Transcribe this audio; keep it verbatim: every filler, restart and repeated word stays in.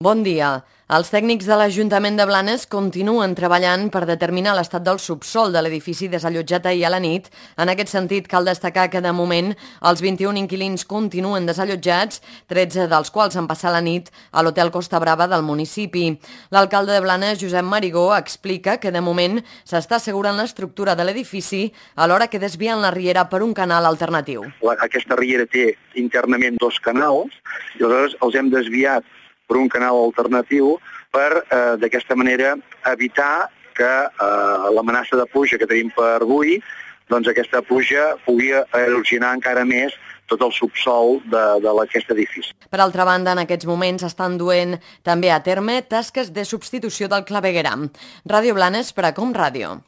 Bon dia. Els tècnics de l'Ajuntament de Blanes continuen treballant per determinar l'estat del subsòl de l'edifici desallotjat ahir a la nit. En aquest sentit, cal destacar que, de moment, els vint-i-un inquilins continuen desallotjats, tretze dels quals han passat la nit a l'Hotel Costa Brava del municipi. L'alcalde de Blanes, Josep Marigó, explica que, de moment, s'està assegurant l'estructura de l'edifici alhora que desvien la riera per un canal alternatiu. Aquesta riera té internament dos canals i aleshores els hem desviat per un canal alternatiu per, eh, d'aquesta manera, evitar que eh, l'amenaça de pluja que tenim per avui, doncs aquesta pluja pugui erosionar encara més tot el subsòl d'aquest edifici. Per altra banda, en aquests moments estan duent també a terme tasques de substitució del clavegueram. Ràdio Blanes per a Com Ràdio.